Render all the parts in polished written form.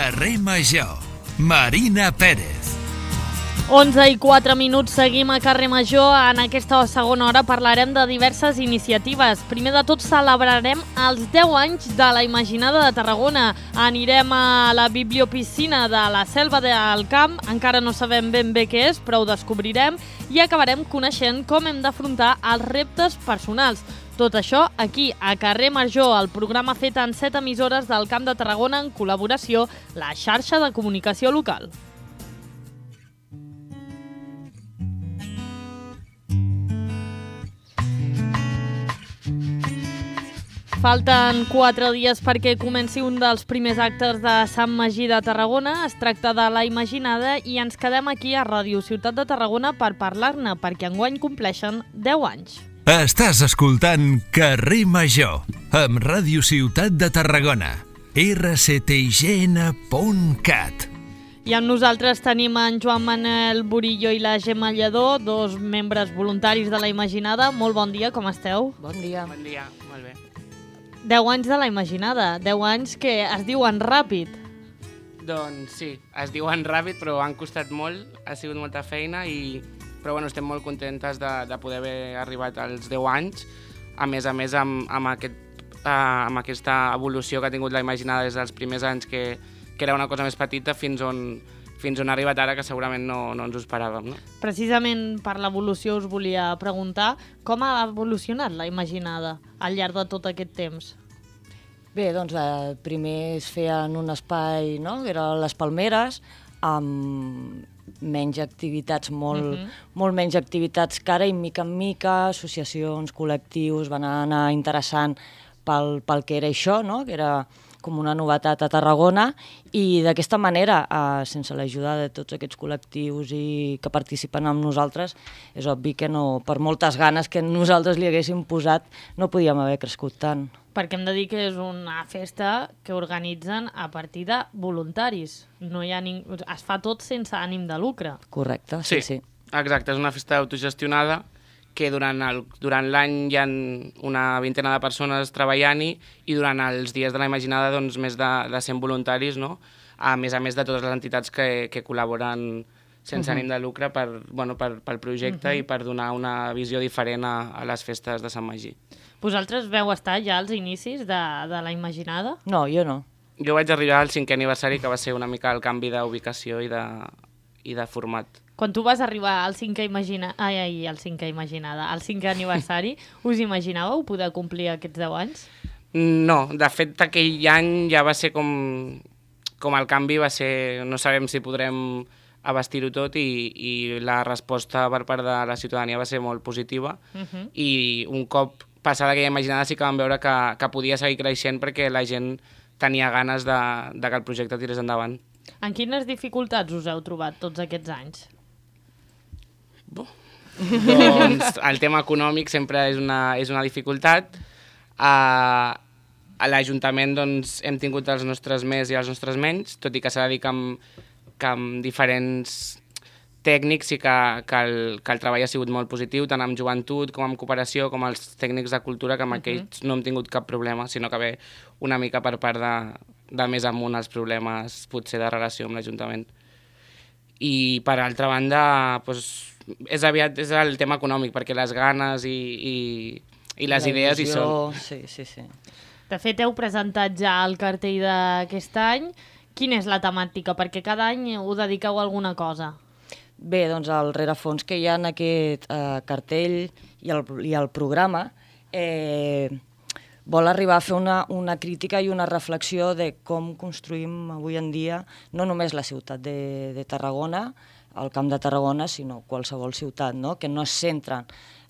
Carrer Major. Marina Pérez. 11:04, seguim a Carrer Major. En aquesta segona hora parlarem de diverses iniciatives. Primer de tot celebrarem els 10 anys de la Imaginada de Tarragona. Anirem a la bibliopiscina de la Selva del Camp, encara no sabem ben bé què és, però ho descobrirem, i acabarem coneixent com hem d'afrontar els reptes personals. Tot això aquí, a Carrer Major, el programa fet en 7 emissores del Camp de Tarragona en col·laboració la xarxa de comunicació local. Falten 4 dies perquè comenci un dels primers actes de Sant Magí de Tarragona. Es tracta de la Imaginada i ens quedem aquí a Ràdio Ciutat de Tarragona per parlar-ne, perquè enguany compleixen 10 anys. Estàs escoltant Carrer Major amb Ràdio Ciutat de Tarragona, rctign.cat. I amb nosaltres tenim en Joan Manel Burillo i la Gemma Lledó, dos membres voluntaris de la Imaginada. Molt bon dia, com esteu? Bon dia. Bon dia, molt bé. 10 anys de la Imaginada, 10 anys que es diuen ràpid. Doncs sí, es diuen ràpid, però han costat molt, ha sigut molta feina, però bueno, estem molt contentes de poder haver arribat als 10 anys, a més amb aquesta evolució que ha tingut la Imaginada des dels primers anys, que era una cosa més petita, fins on ha arribat ara, que segurament no ens ho esperàvem. No? Precisament per l'evolució us volia preguntar com ha evolucionat la Imaginada al llarg de tot aquest temps. Bé, doncs primer es feia en un espai, no?, que eren les Palmeres, amb menys activitats, molt menys activitats que ara, i mica en mica associacions, col·lectius van anar interessant pel que era això, no?, que era com una novetat a Tarragona, i d'aquesta manera, sense l'ajuda de tots aquests col·lectius i que participen amb nosaltres, és obvi que no, per moltes ganes que nosaltres li haguéssim posat, no podíem haver crescut tant. Perquè hem de dir que és una festa que organitzen a partir de voluntaris. No hi ha es fa tot sense ànim de lucre. Correcte, sí. Exacte, és una festa autogestionada que durant l'any hi ha una vintena de persones treballant-hi, i durant els dies de la Imaginada doncs, més de 100 voluntaris, no? A més de totes les entitats que col·laboren sense ànim de lucre pel projecte i per donar una visió diferent a les festes de Sant Magí. Vosaltres veu estar ja als inicis de la Imaginada? No, jo no. Jo vaig arribar al 5è aniversari, que va ser una mica el canvi d'ubicació i de format. Quan tu vas arribar al 5è aniversari, us imaginàveu poder complir aquests 10 anys? No, de fet, aquell any ja va ser com el canvi va ser, no sabem si podrem abastir-ho tot, i la resposta per part de la ciutadania va ser molt positiva, i un cop passada aquella Imaginada sí que vam veure que podia seguir creixent, perquè la gent tenia ganes de que el projecte tirés endavant. En quines dificultats us heu trobat tots aquests anys? Doncs el tema econòmic sempre és una dificultat. A l'Ajuntament doncs, hem tingut els nostres més i els nostres menys, tot i que s'ha de dir que amb diferents tècnics i que el treball ha sigut molt positiu, tant amb joventut com amb cooperació, com els tècnics de cultura, que amb aquells no hem tingut cap problema, sinó que ve una mica per part de més amunt els problemes potser de relació amb l'Ajuntament. I per altra banda, doncs, és el tema econòmic, perquè les ganes i les idees hi són. Sí. De fet, heu presentat ja el cartell d'aquest any. Quina és la temàtica? Perquè cada any ho dediqueu a alguna cosa. Bé, doncs el rerefons que hi ha en aquest cartell i el programa vol arribar a fer una crítica i una reflexió de com construïm avui en dia no només la ciutat de Tarragona, el Camp de Tarragona, sinó qualsevol ciutat, no?, que no es centra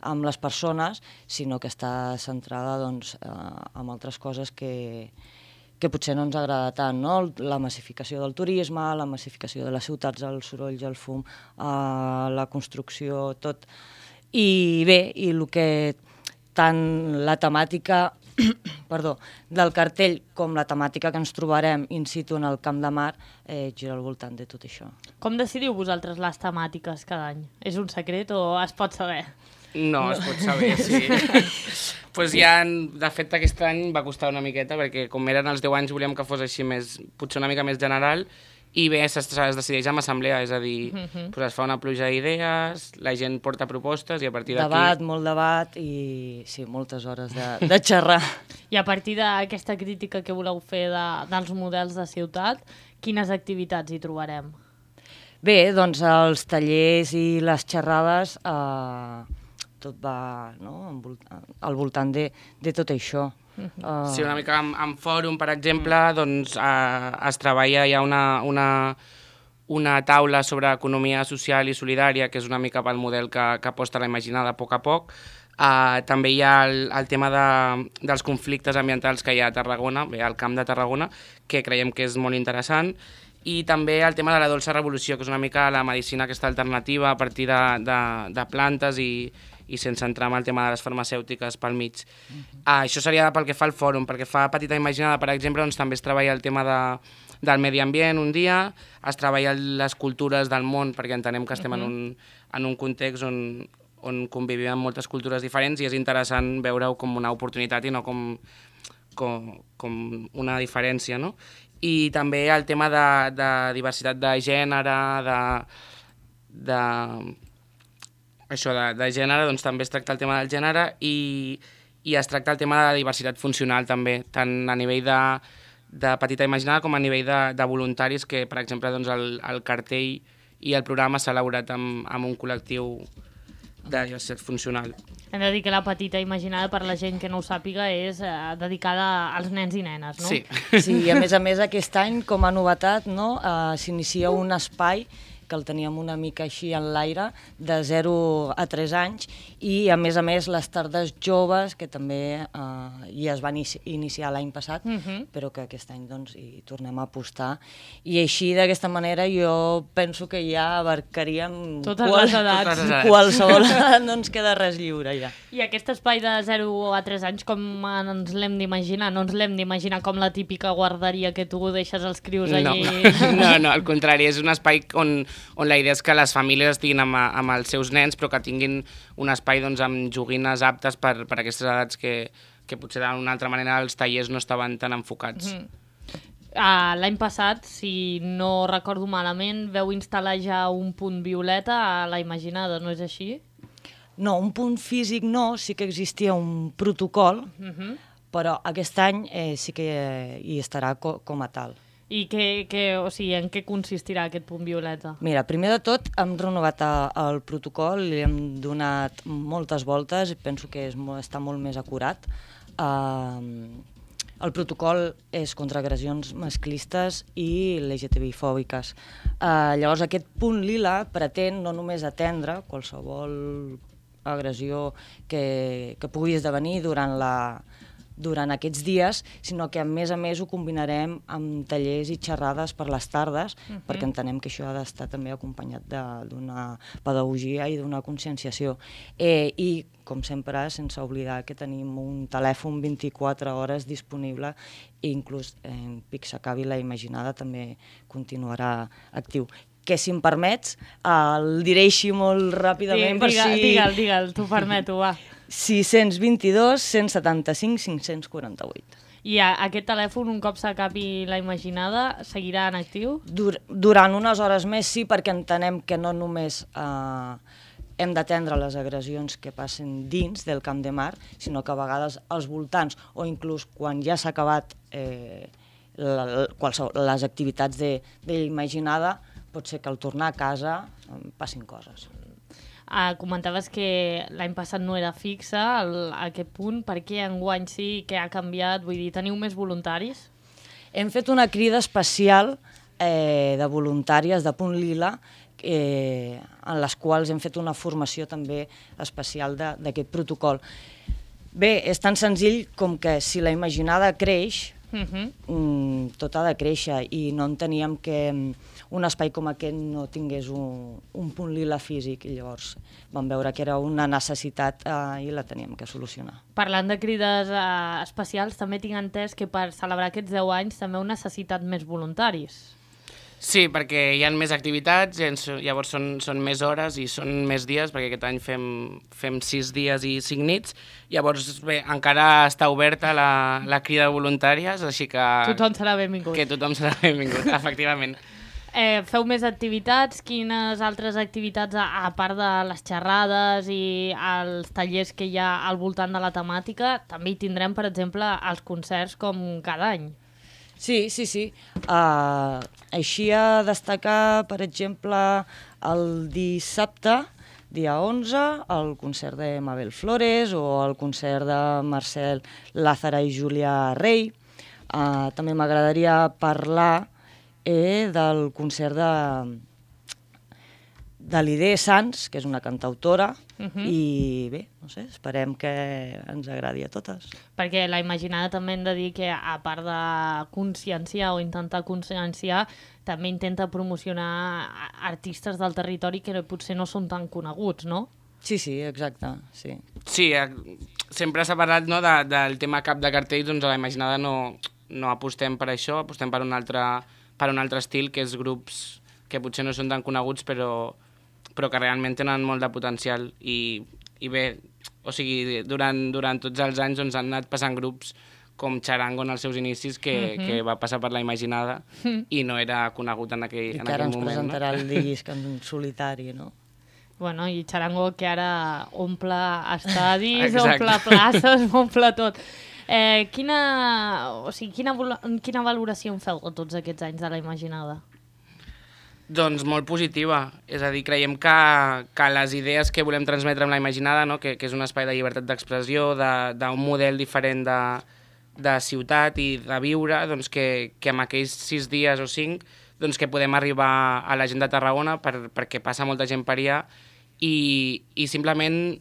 en les persones, sinó que està centrada doncs, en altres coses que potser no ens agrada tant, no? La massificació del turisme, la massificació de les ciutats, els sorolls, el fum, la construcció, tot. I bé, i el que tant la temàtica del cartell com la temàtica que ens trobarem in situ en el Camp de Mar gira al voltant de tot això. Com decidiu vosaltres les temàtiques cada any? És un secret o es pot saber? No, es pot saber, sí. Pues ja, de fet, aquest any va costar una miqueta, perquè com eren els 10 anys volíem que fos així més, potser una mica més general, i bé, es decideix amb assemblea, és a dir, pues es fa una pluja d'idees, la gent porta propostes i a partir d'aquí... Debat, molt debat i sí, moltes hores de xerrar. I a partir d'aquesta crítica que voleu fer dels models de ciutat, quines activitats hi trobarem? Bé, doncs els tallers i les xerrades, tot va al voltant de tot això. Sí, una mica en fòrum, per exemple, doncs es treballa, hi ha una taula sobre economia social i solidària, que és una mica pel model que aposta la Imaginada a poc. També hi ha el tema dels conflictes ambientals que hi ha a Tarragona, bé, al Camp de Tarragona, que creiem que és molt interessant, i també el tema de la dolça revolució, que és una mica la medicina aquesta alternativa a partir de plantes i sense entrar en el tema de les farmacèutiques pel mig. Això seria pel que fa al fòrum. Pel que fa a Petita Imaginada, per exemple, doncs també es treballa el tema del medi ambient un dia, es treballa les cultures del món, perquè entenem que estem en un context on convivim amb moltes cultures diferents i és interessant veure-ho com una oportunitat i no com una diferència, no? I també el tema de diversitat de gènere, de gènere, doncs també es tracta el tema del gènere i es tracta el tema de la diversitat funcional també, tant a nivell de Petita Imaginada com a nivell de voluntaris, que per exemple doncs, el cartell i el programa s'ha elaborat amb un col·lectiu de diversitat funcional. Hem de dir que la Petita Imaginada, per la gent que no ho sàpiga, és dedicada als nens i nenes, no? Sí. Sí, i a més aquest any, com a novetat, no, s'inicia un espai que el teníem una mica així en l'aire, de 0 a 3 anys, i a més les tardes joves, que també ja es van iniciar l'any passat, però que aquest any doncs, hi tornem a apostar. I així, d'aquesta manera, jo penso que ja abarcaríem totes les edats. Qualsevol edat, no ens queda res lliure ja. I aquest espai de 0 a 3 anys, com ens l'hem d'imaginar? No ens l'hem d'imaginar com la típica guarderia que tu deixes els crios allí? No, al contrari, és un espai on la idea és que les famílies estiguin amb els seus nens, però que tinguin un espai doncs, amb joguines aptes per aquestes edats que potser d'una altra manera els tallers no estaven tan enfocats. L'any passat, si no recordo malament, veu instal·lar ja un punt violeta a la Imaginada, no és així? No, un punt físic no, sí que existia un protocol, però aquest any sí que hi estarà com a tal. I en què consistirà aquest punt violeta? Mira, primer de tot hem renovat el protocol, li hem donat moltes voltes, penso que està molt més acurat. El protocol és contra agressions masclistes i LGTBI-fòbiques. Llavors aquest punt lila pretén no només atendre qualsevol agressió que pugui esdevenir durant aquests dies, sinó que a més ho combinarem amb tallers i xerrades per les tardes, perquè entenem que això ha d'estar també acompanyat d'una pedagogia i d'una conscienciació. I, com sempre, sense oblidar que tenim un telèfon 24 hores disponible i inclús en pic s'acabi la Imaginada també continuarà actiu. Que, si em permets, el diré així molt ràpidament. Digue'l, t'ho permeto, va. 622 175 548. I aquest telèfon, un cop s'acabi la Imaginada, seguirà en actiu? Durant unes hores més sí, perquè entenem que no només hem d'atendre les agressions que passen dins del Camp de Mar, sinó que a vegades als voltants, o inclús quan ja s'ha acabat les activitats d'Imaginada, pot ser que al tornar a casa passin coses. Comentaves que l'any passat no era fixa aquest punt. Per què enguany sí? Què ha canviat? Vull dir, teniu més voluntaris? Hem fet una crida especial de voluntàries de Punt Lila en les quals hem fet una formació també especial d'aquest protocol. Bé, és tan senzill com que si la Imaginada creix, tot ha de créixer i no enteníem que un espai com aquest no tingués un punt lila físic i llavors vam veure que era una necessitat i la teníem que solucionar. Parlant de crides especials, també tinc entès que per celebrar aquests 10 anys també heu necessitat més voluntaris. Sí, perquè hi ha més activitats, llavors són més hores i són més dies, perquè aquest any fem 6 dies i 5 nits. Llavors, bé, encara està oberta la crida de voluntàries, així que... Tothom serà benvingut. Que tothom serà benvingut, efectivament. Feu més activitats? Quines altres activitats, a part de les xerrades i els tallers que hi ha al voltant de la temàtica, també hi tindrem, per exemple, els concerts com cada any? Sí. Així a destacar, per exemple, el dissabte, dia 11, el concert de Mabel Flores o el concert de Marcel Lázara i Júlia Rey. També m'agradaria parlar del concert de l'Idea Sans, que és una cantautora, i bé, no sé, esperem que ens agradi a totes. Perquè la Imaginada també hem de dir que, a part de conscienciar o intentar conscienciar, també intenta promocionar artistes del territori que potser no són tan coneguts, no? Sí, exacte, sí. Sí, sempre s'ha parlat, no, del tema cap de cartells, doncs a la Imaginada no apostem per això, apostem per un altre estil, que és grups que potser no són tan coneguts, però que realment tenen molt de potencial. I bé, o sigui, durant tots els anys han anat passant grups com Charango en els seus inicis, que va passar per la Imaginada i no era conegut en aquell moment. I que ara ens presentarà el disc en solitari, no? Bueno, i Charango, que ara omple estadis, omple places, omple tot. Quina valoració en feu de tots aquests anys de la Imaginada? Doncs molt positiva, és a dir, creiem que les idees que volem transmetre amb la Imaginada, no? que és un espai de llibertat d'expressió, d'un model diferent de ciutat i de viure, doncs que amb aquells 6 dies o 5 doncs que podem arribar a la gent de Tarragona perquè passa molta gent per allà i simplement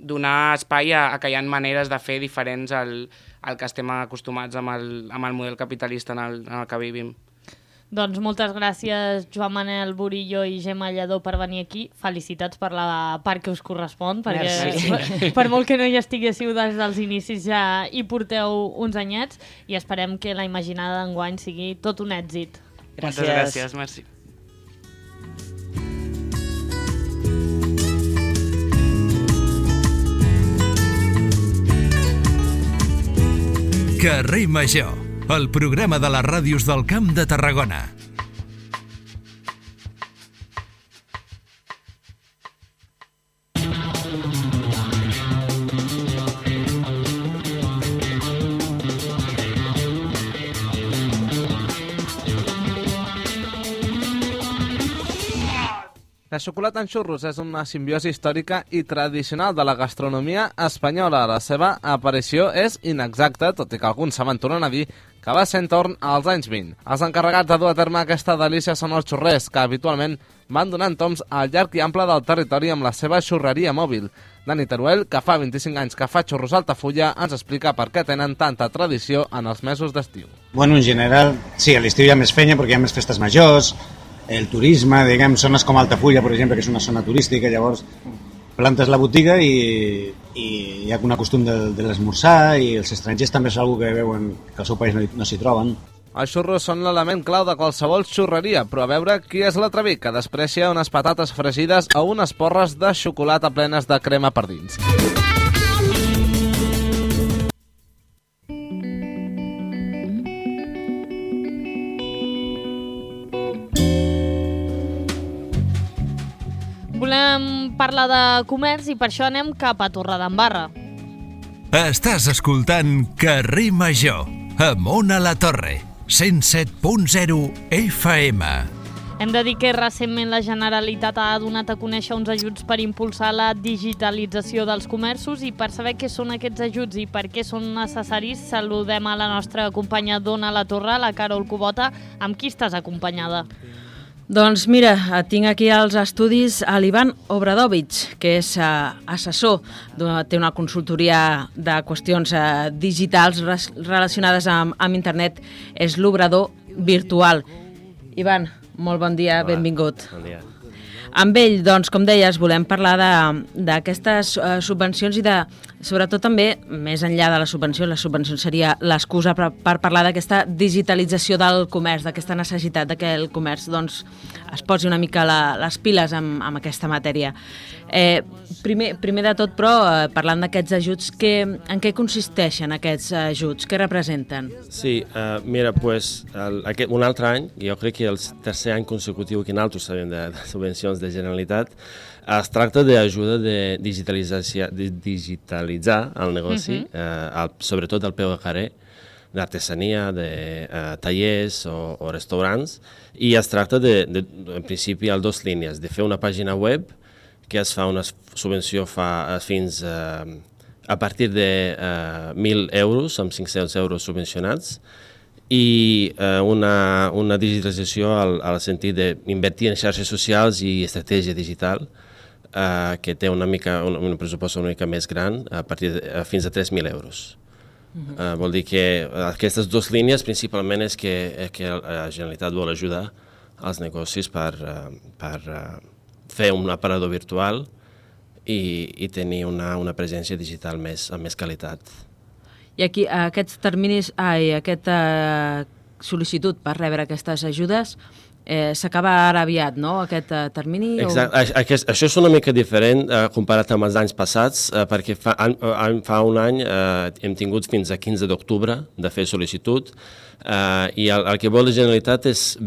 donar espai a que hi ha maneres de fer diferents al que estem acostumats amb el model capitalista en el que vivim. Doncs moltes gràcies, Joan Manel Burillo i Gemma Lledó, per venir aquí. Felicitats per la part que us correspon, perquè per molt que no hi estiguéssiu des dels inicis ja hi porteu uns anyets i esperem que la Imaginada d'enguany sigui tot un èxit. Moltes gràcies, merci. Carrer Major, el programa de les ràdios del Camp de Tarragona. La xocolata en xurros és una simbiosi històrica i tradicional de la gastronomia espanyola. La seva aparició és inexacta, tot i que alguns s'aventuren a dir que va ser en torn als anys 20. Els encarregats de dur a terme aquesta delícia són els xurrers, que habitualment van donant toms al llarg i ample del territori amb la seva xurreria mòbil. Dani Teruel, que fa 25 anys que fa xurros a Altafulla, ens explica per què tenen tanta tradició en els mesos d'estiu. Bueno, en general, sí, a l'estiu hi ha més fenya perquè hi ha més festes majors, el turisme, diguem, zones com Altafulla, per exemple, que és una zona turística, llavors plantes la botiga i hi ha un costum de l'esmorzar i els estrangers també és una que veuen que al seu país no s'hi troben. Els xurros són l'element clau de qualsevol xurreria, però a veure qui és l'atreví que desprecia unes patates fregides o unes porres de xocolata plenes de crema per dins. Volem parlar de comerç i per això anem cap a Torredembarra. Estàs escoltant Carrer Major, amb Ona La Torre, 107.0 FM. Hem de dir que recentment la Generalitat ha donat a conèixer uns ajuts per impulsar la digitalització dels comerços i per saber què són aquests ajuts i per què són necessaris saludem a la nostra companya d'Ona La Torre, la Carol Cubota, amb qui estàs acompanyada. Doncs mira, tinc aquí als estudis a l'Ivan Obradovic, que és assessor, té una consultoria de qüestions digitals relacionades amb internet, és l'obrador virtual. Ivan, molt bon dia, benvingut. Bon dia. Amb ell, doncs, com deies, volem parlar d'aquestes subvencions i sobretot també, més enllà de la subvenció seria l'excusa per parlar d'aquesta digitalització del comerç, d'aquesta necessitat que el comerç doncs, es posi una mica les piles amb aquesta matèria. Primer de tot, però, parlant d'aquests ajuts, en què consisteixen aquests ajuts? Què representen? Sí, mira, pues, un altre any, jo crec que el tercer any consecutiu que nosaltres sabem de subvencions de Generalitat, es tracta d'ajuda de digitalitzar el negoci, sobretot al peu de carrer, d'artesania, de tallers o restaurants, i es tracta en principi, a dues línies, de fer una pàgina web, que es fa una subvenció fins a partir de 1.000 euros, amb 500 euros subvencionats, i una digitalització al sentit d'invertir en xarxes socials i estratègia digital, que té un pressupost una mica més gran, fins a 3.000 euros. Vol dir que aquestes dues línies principalment és que la Generalitat vol ajudar als negocis per fer un aparador virtual i tenir una presència digital amb més qualitat. I aquí, aquests terminis, aquesta sol·licitud per rebre aquestes ajudes s'acaba ara aviat, no?, aquest termini? Exacte. Això és una mica diferent comparat amb els anys passats, perquè fa un any hem tingut fins a 15 d'octubre de fer sol·licitud, i el que vol la Generalitat és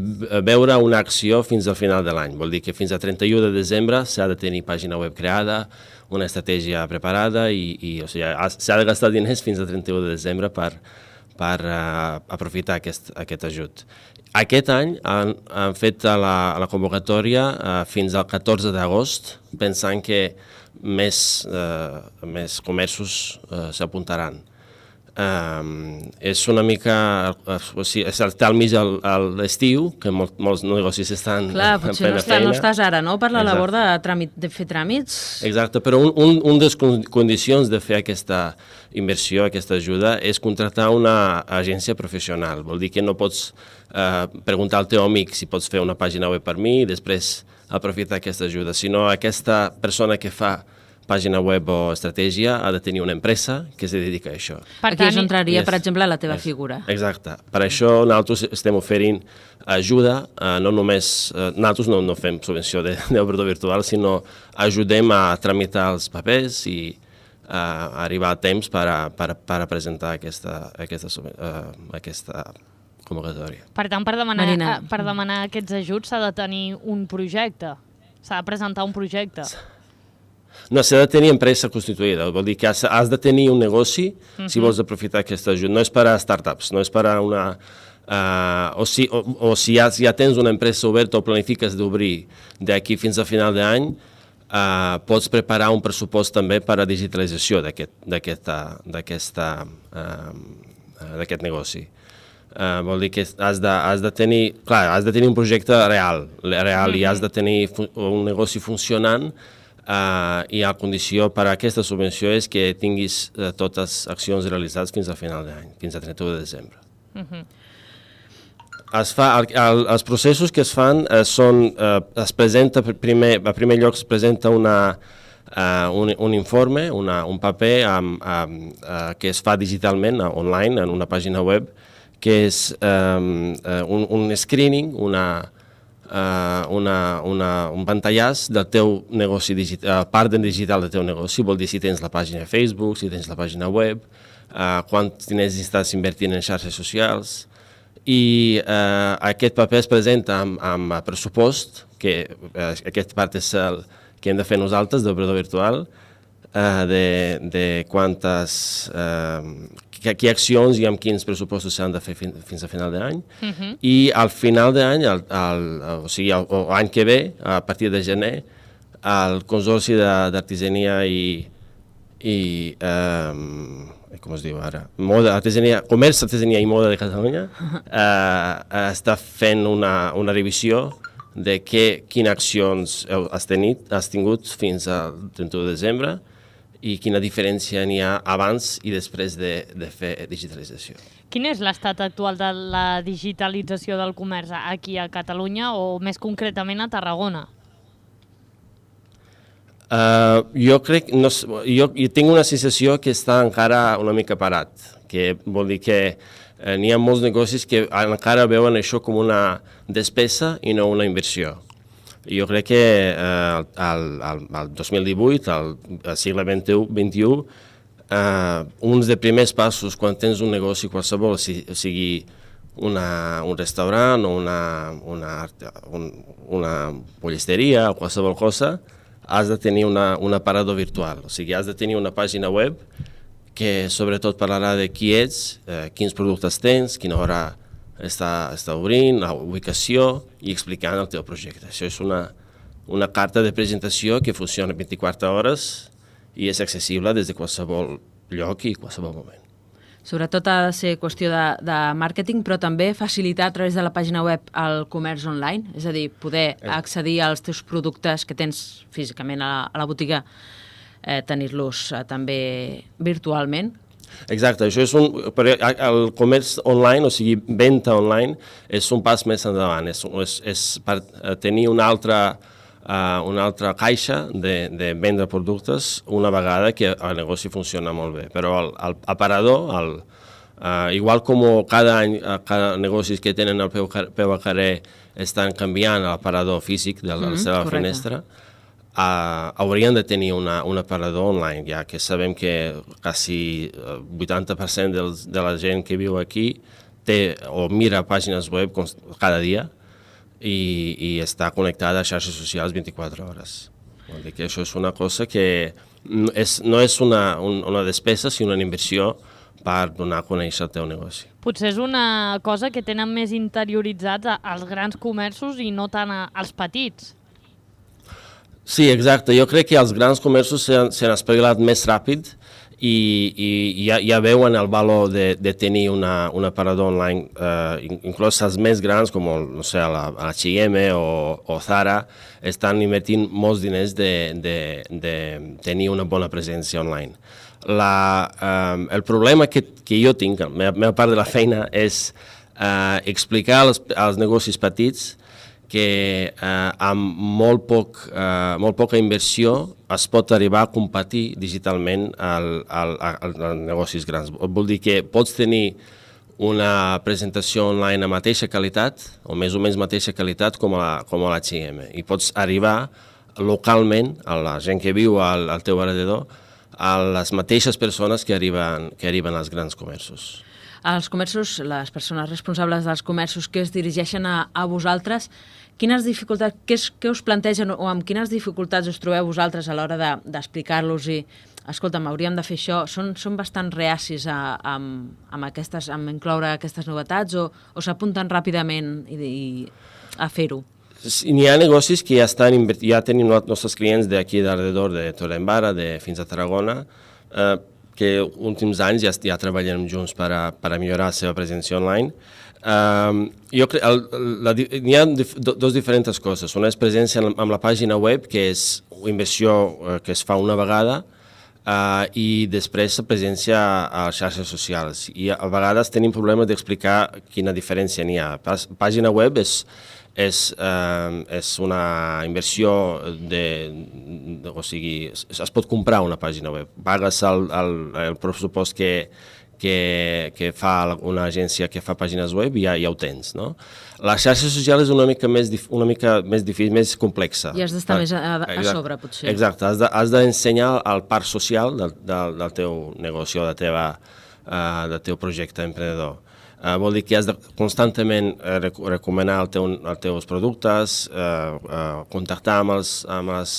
veure una acció fins al final de l'any. Vol dir que fins a 31 de desembre s'ha de tenir pàgina web creada, una estratègia preparada i s'ha de gastar diners fins a 31 de desembre per aprofitar aquest ajut. Aquest any han fet la convocatòria fins al 14 d'agost, pensant que més comerços s'apuntaran. És una mica... està al mig de l'estiu, que molts negocis estan en plena feina. No estàs ara, no?, per la labor de fer tràmits. Exacte, però una de les condicions de fer aquesta inversió, aquesta ajuda, és contractar una agència professional. Vol dir que no pots preguntar al teu amic si pots fer una pàgina web per mi i després aprofitar aquesta ajuda, sinó aquesta persona que fa pàgina web o estratègia ha de tenir una empresa que es dedica a això. Aquí és on entraria, per exemple, la teva figura. Exacte. Per això nosaltres estem oferint ajuda, no només... Nosaltres no fem subvenció d'obrador virtual, sinó ajudem a tramitar els papers i a arribar a temps per presentar aquesta convocatòria. Per tant, per demanar aquests ajuts s'ha de tenir un projecte, s'ha de presentar un projecte. No, s'ha de tenir empresa constituïda, vol dir que has de tenir un negoci si vols aprofitar aquest ajut. No és per a startups, no és per a una... o si ja tens una empresa oberta o planifiques d'obrir d'aquí fins a final d'any, pots preparar un pressupost també per a digitalització d'aquest negoci. Vol dir que has de tenir un projecte real i has de tenir un negoci funcionant, i la condició per a aquesta subvenció és que tinguis totes les accions realitzades fins a final d'any, fins a 31 de desembre. Els processos que es fan són, es presenta a primer lloc es presenta un informe, un paper que es fa digitalment, online, en una pàgina web, que és un screening, un pantallàs del teu negoci digital, part digital del teu negoci, vol dir si tens la pàgina de Facebook, si tens la pàgina web, quants diners estàs invertint en xarxes socials, i aquest paper es presenta amb pressupost, que aquesta part és el que hem de fer nosaltres, d'obrador virtual, de quantes... quines accions i amb quins pressupostos s'han de fer fins a final d'any. I al final d'any, o sigui, l'any que ve, a partir de gener, el Consorci d'Artesania i com es diu ara? Comerç, Artesania i Moda de Catalunya està fent una revisió de quines accions has tingut fins al 31 de desembre i quina diferència n'hi ha abans i després de fer digitalització. Quin és l'estat actual de la digitalització del comerç aquí a Catalunya o més concretament a Tarragona? Jo crec, jo tinc una sensació que està encara una mica parat, que vol dir que n'hi ha molts negocis que encara veuen això com una despesa i no una inversió. Jo crec que al 2018, al segle XXI, uns de primers passos quan tens un negoci qualsevol, sigui un restaurant o una pollesteria o qualsevol cosa, has de tenir un aparador virtual, o sigui, has de tenir una pàgina web que sobretot parlarà de qui ets, quins productes tens, quina hora està obrint, la ubicació i explicant el teu projecte. Això és una carta de presentació que funciona 24 hores i és accessible des de qualsevol lloc i qualsevol moment. Sobretot ha de ser qüestió de màrqueting, però també facilitar a través de la pàgina web el comerç online, és a dir, poder accedir als teus productes que tens físicament a la botiga, tenir-los també virtualment. Exacte, això és el comerç online, o sigui, venda online, és un pas més endavant, és per tenir una altra caixa de vendre productes una vegada que el negoci funciona molt bé. Però l'aparador, igual com cada any cada negocis que tenen el peu a carrer estan canviant l'aparador físic de la seva finestra, haurien de tenir un aparador online, ja que sabem que quasi 80% de la gent que viu aquí té o mira pàgines web cada dia, i està connectada a xarxes socials 24 hores. Vol dir que això és una cosa que no és una despesa, sinó una inversió per donar a conèixer el teu negoci. Potser és una cosa que tenen més interioritzats als grans comerços i no tant als petits. Sí, exacte. Jo crec que els grans comerços s'han espavilat més ràpid i ja veuen el valor de tenir un aparador online, inclús els més grans com la H&M o Zara estan invertint molts diners de tenir una bona presència online. El problema que jo tinc, la meva part de la feina, és explicar als negocis petits que amb molt poca inversió es pot arribar a competir digitalment als negocis grans. Vol dir que pots tenir una presentació online de mateixa qualitat, o més o menys mateixa qualitat com a l'H&M, i pots arribar localment a la gent que viu al teu alrededor, a les mateixes persones que arriben als grans comerços. Els comerços, les persones responsables dels comerços que es dirigeixen a vosaltres, quines dificultats, què us plantegen o amb quines dificultats us trobeu vosaltres a l'hora d'explicar-los i, escolta'm, hauríem de fer això? Són bastant reacis a incloure aquestes novetats o s'apunten ràpidament a fer-ho? N'hi ha negocis que ja tenim nostres clients d'aquí d'alrededor de Torredembarra, fins a Tarragona, que últims anys ja treballem junts per a millorar la seva presència online. Jo crec que hi ha dues diferents coses. Una és presència amb la pàgina web, que és una inversió que es fa una vegada, i després presència a les xarxes socials. I a vegades tenim problemes d'explicar quina diferència n'hi ha. Pàgina web és una inversió o sigui, es pot comprar una pàgina web. Pagues el pressupost que fa una agència que fa pàgines web i ja ho tens, no? La xarxa social és una mica més difícil, més complexa. I has d'estar més a sobre, potser. Exacte, has d'ensenyar el part social del teu negoci o del teu projecte emprenedor. Vol dir que has de constantment recomanar els teus productes, contactar amb els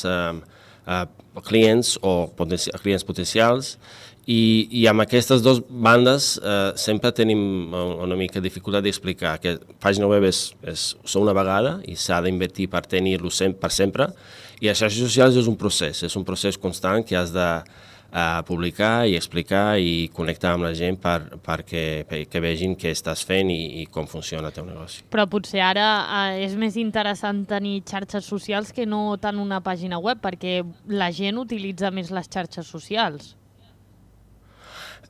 clients o clients potencials, i amb aquestes dues bandes sempre tenim una mica dificultat d'explicar que pàgina web és una vegada i s'ha d'invertir per tenir-lo per sempre, i les xarxes socials és un procés constant que has de publicar i explicar i connectar amb la gent perquè vegin què estàs fent i com funciona el teu negoci. Però potser ara és més interessant tenir xarxes socials que no tant una pàgina web, perquè la gent utilitza més les xarxes socials.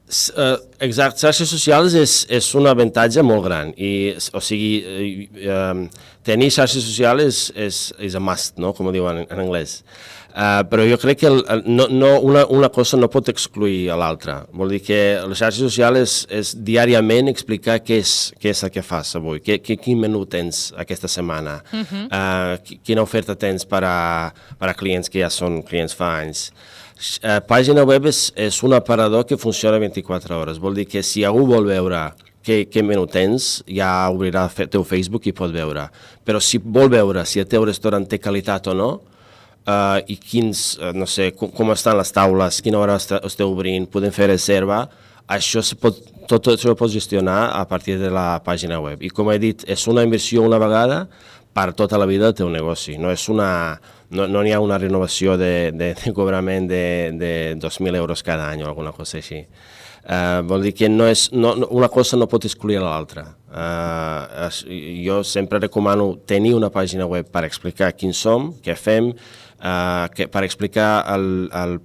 Exacte, xarxes socials és un avantatge molt gran, o sigui, tenir xarxes socials és a must, no? Com ho diuen en anglès. Però jo crec que una cosa no pot excluir a l'altra. Vol dir que les xarxes socials és diàriament explicar què és el que fas avui, quin menú tens aquesta setmana, quina oferta tens per a clients que ja són clients fa anys. Pàgina web és un aparador que funciona 24 hores. Vol dir que si algú vol veure què menú tens, ja obrirà el teu Facebook i pot veure. Però si vol veure si el teu restaurant té qualitat o no, i quins, no sé, com estan les taules, quina hora esteu obrint, podem fer reserva, tot això ho pots gestionar a partir de la pàgina web. I com he dit, és una inversió una vegada per tota la vida del teu negoci. No n'hi ha una renovació de cobrament de 2.000 euros cada any o alguna cosa així. Vol dir que una cosa no pot excluir l'altra. Jo sempre recomano tenir una pàgina web per explicar quins som, què fem, per explicar la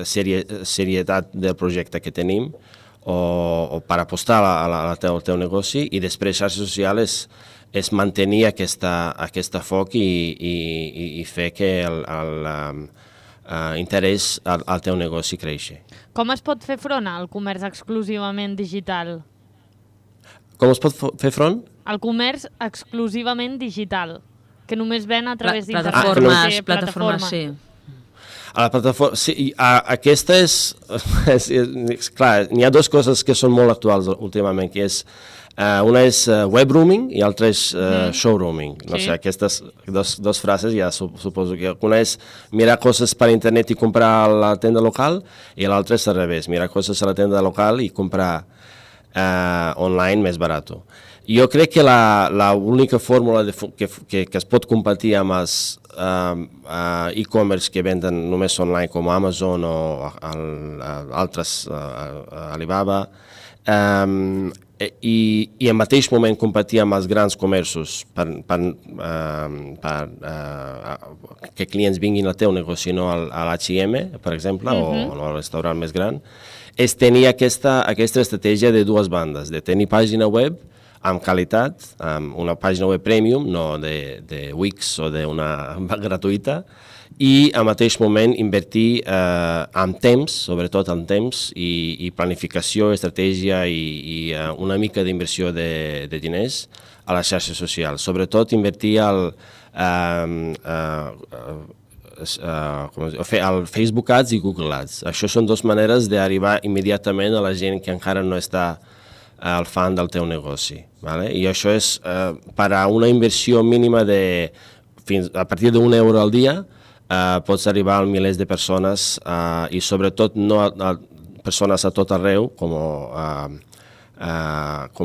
serietat del projecte que tenim o per apostar al teu negoci, i després xarxes socials és mantenir aquesta foc i fer que l'interès al teu negoci creixi. Com es pot fer front al comerç exclusivament digital? Com es pot fer front? El comerç exclusivament digital, que només ven a través d'internet. Plataformes, sí. A la plataforma, sí, aquesta és clar, n'hi ha dues coses que són molt actuals últimament, que és una és web roaming i l'altra és showrooming. No sé, aquestes dos frases ja suposo que una és mirar coses per internet i comprar a la tenda local, i l'altra és al revés, mirar coses a la tenda local i comprar online més barat. Jo crec que l'única fórmula que es pot competir amb els e-commerce que venden només online com Amazon o altres, Alibaba, i al mateix moment competir amb els grans comerços que clients vinguin al teu negoci, no a l'H&M, per exemple, o al restaurant més gran, és tenir aquesta estratègia de dues bandes, de tenir pàgina web amb qualitat, amb una pàgina web premium, no de Wix o d'una gratuïta, i al mateix moment invertir en temps, sobretot en temps, i planificació, estratègia i una mica d'inversió de diners a les xarxes socials. Sobretot invertir al Facebook Ads i Google Ads. Això són dues maneres d'arribar immediatament a la gent que encara no està al fan del teu negoci. I això és per a una inversió mínima a partir d'1 euro al dia, pots arribar a milers de persones i sobretot no a persones a tot arreu, com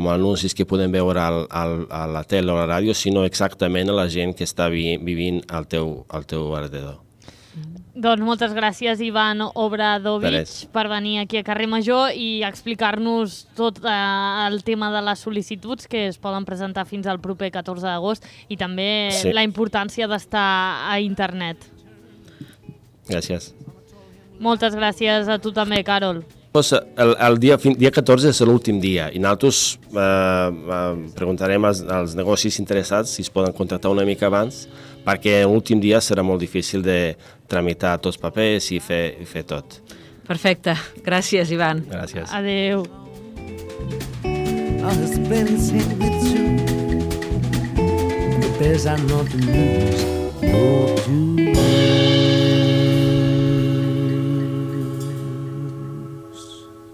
anuncis que podem veure a la tele o a la ràdio, sinó exactament a la gent que està vivint al teu alrededor. Doncs moltes gràcies, Ivan Obradovic, per venir aquí a Carrer Major i explicar-nos tot el tema de les sol·licituds que es poden presentar fins al proper 14 d'agost i també la importància d'estar a internet. Gràcies. Moltes gràcies a tu també, Carol. El dia 14 és l'últim dia i nosaltres preguntarem als negocis interessats si es poden contractar una mica abans, perquè l'últim dia serà molt difícil de tramitar tots els papers i fer tot. Perfecte. Gràcies, Ivan. Gràcies. Adéu.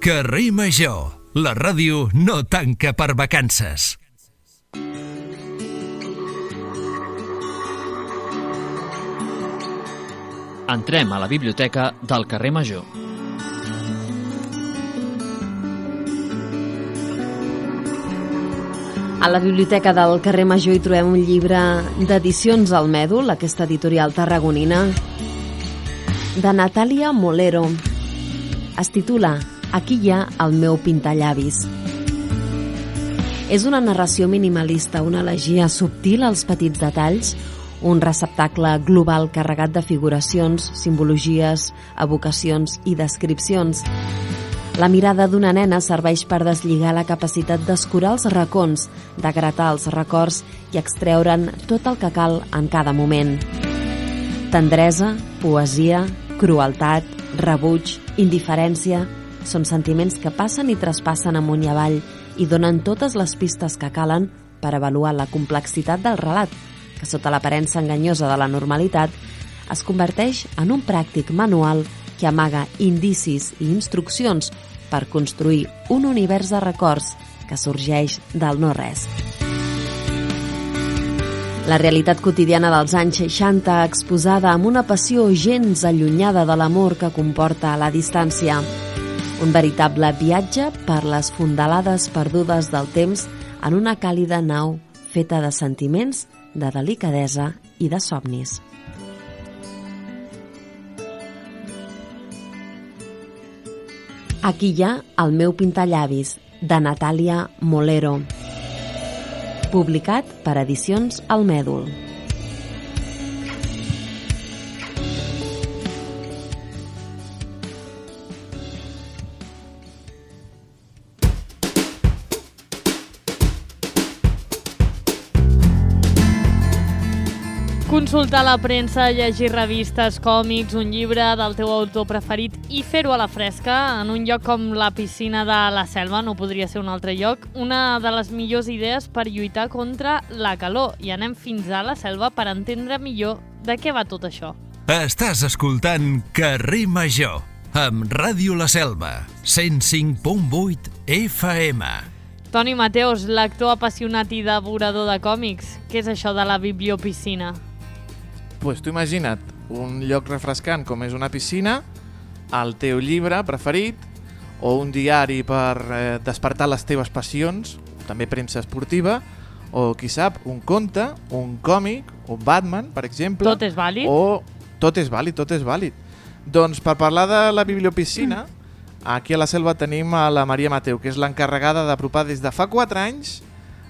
Carrer Major, la ràdio no tanca per vacances. Entrem a la biblioteca del Carrer Major. A la biblioteca del Carrer Major hi trobem un llibre d'Edicions al Mèdol, aquesta editorial tarragonina, de Natàlia Molero. Es titula Aquí hi ha el meu pintallavis. És una narració minimalista, una elegia subtil als petits detalls, un receptacle global carregat de figuracions, simbologies, evocacions i descripcions. La mirada d'una nena serveix per deslligar la capacitat d'escurar els racons, de gratar els records i extreure'n tot el que cal en cada moment. Tendresa, poesia, crueltat, rebuig, indiferència... Són sentiments que passen i traspassen amunt i avall i donen totes les pistes que calen per avaluar la complexitat del relat, que sota l'aparença enganyosa de la normalitat es converteix en un pràctic manual que amaga indicis i instruccions per construir un univers de records que sorgeix del no-res. La realitat quotidiana dels anys 60 exposada amb una passió gens allunyada de l'amor que comporta la distància. Un veritable viatge per les fondalades perdudes del temps en una càlida nau feta de sentiments, de delicadesa i de somnis. Aquí hi ha El meu pintallavis, de Natàlia Molero, publicat per Edicions El Mèdul. Consultar la premsa, llegir revistes, còmics, un llibre del teu autor preferit i fer-ho a la fresca en un lloc com la piscina de la Selva, no podria ser un altre lloc, una de les millors idees per lluitar contra la calor. I anem fins a la Selva per entendre millor de què va tot això. Estàs escoltant Carrer Major, amb Ràdio La Selva, 105.8 FM. Toni Mateos, lector apassionat i devorador de còmics, què és això de la bibliopiscina? Pues tu imagina't un lloc refrescant com és una piscina, el teu llibre preferit o un diari per despertar les teves passions, també premsa esportiva, o qui sap, un conte, un còmic, un Batman, per exemple. Tot és vàlid? Tot és vàlid, tot és vàlid. Doncs per parlar de la bibliopiscina, aquí a la Selva tenim a la Maria Mateu, que és l'encarregada d'apropar des de fa 4 anys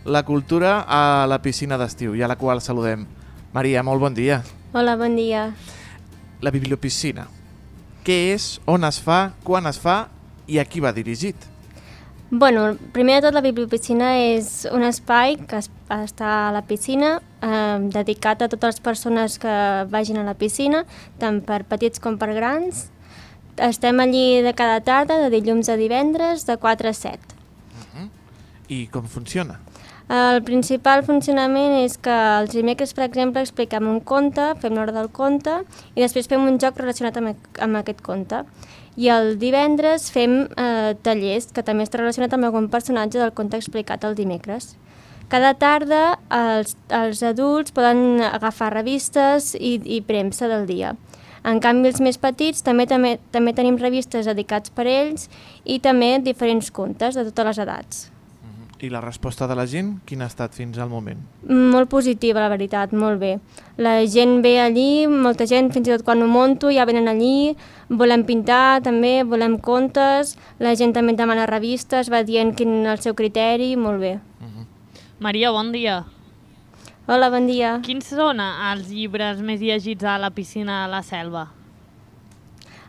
la cultura a la piscina d'estiu, i a la qual saludem. Maria, molt bon dia. Hola, bon dia. La bibliopiscina. Què és, on es fa, quan es fa i a qui va dirigit? Bueno, primer de tot, la bibliopiscina és un espai que està a la piscina, dedicat a totes les persones que vagin a la piscina, tant per petits com per grans. Estem allí de cada tarda, de dilluns a divendres, de 4 a 7. I com funciona? El principal funcionament és que els dimecres, per exemple, expliquem un conte, fem l'hora del conte i després fem un joc relacionat amb aquest conte. I el divendres fem tallers, que també està relacionat amb algun personatge del conte explicat el dimecres. Cada tarda els adults poden agafar revistes i premsa del dia. En canvi, els més petits també tenim revistes dedicats per ells i també diferents contes de totes les edats. I la resposta de la gent, quina ha estat fins al moment? Molt positiva, la veritat, molt bé. La gent ve allí, molta gent, fins i tot quan ho monto, ja venen allí, volem pintar també, volem contes, la gent també demana revistes, va dient quin és el seu criteri, molt bé. Maria, bon dia. Hola, bon dia. Quins són els llibres més llegits a la piscina de la Selva?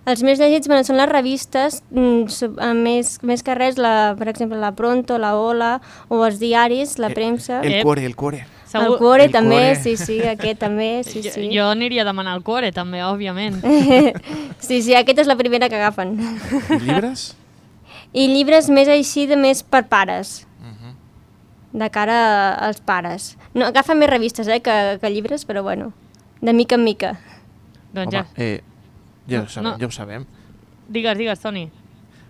Els més llegits són les revistes, més que res, per exemple, la Pronto, la Ola, o els diaris, la premsa. El Cuore. El Cuore també, sí, aquest també, sí. Jo aniria a demanar el Cuore també, òbviament. Sí, aquesta és la primera que agafen. I llibres? I llibres més així, més per pares. De cara als pares. No, agafen més revistes que llibres, però bueno, de mica en mica. Doncs ja. Ja ho sabem. Digues, Toni.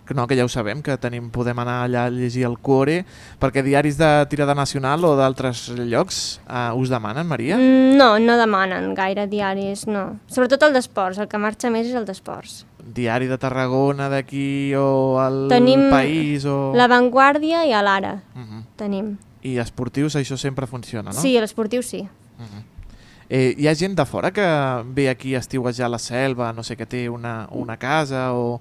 Que ja ho sabem, que podem anar allà a llegir el Cuore, perquè diaris de tirada nacional o d'altres llocs us demanen, Maria? No demanen gaire diaris, no. Sobretot el d'esports, el que marxa més és el d'esports. Diari de Tarragona d'aquí o el País o... La Vanguardia i l'Ara, tenim. I esportius, això sempre funciona, no? Sí, l'esportiu sí. Hi ha gent de fora que ve aquí a estiuejar a la Selva, no sé, que té una casa o